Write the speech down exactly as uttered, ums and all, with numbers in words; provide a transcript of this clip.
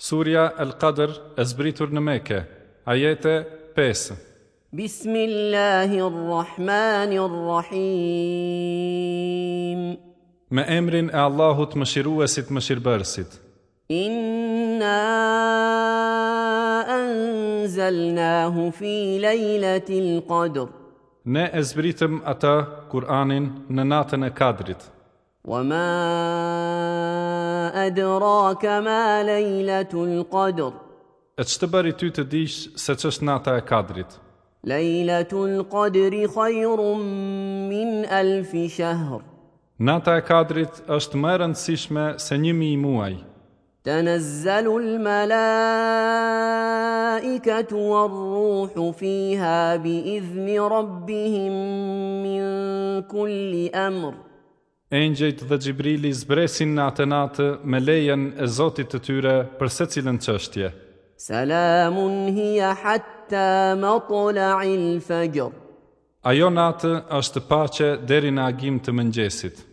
Surja El-Qadr e zbritur në Mekë, ajete pesë. بسم الله الرحمن الرحيم. Me emrin e Allahut Mëshiruesit Mëshirbërësit. إنا أنزلناه في ليلة القدر. Ne e zbritëm atë, Kur'anin, në natën e Kadrit. وما أدراك ما ليلة القدر. E ç'të bëri ty të dish se ç'është nata e Kadrit? ليلة القدر خير من ألف شهر. Nata e Kadrit është më e rëndësishme se një mijë muaj. تنزل الملائكة والروح فيها بإذن ربهم من كل أمر. Engjëjt dhe Xhibrili zbresin në atë natë me lejen e Zotit të tyre për secilën çështje. سلام هي حتى مطلع الفجر. Ajo natë është paqe deri në agim të mëngjesit.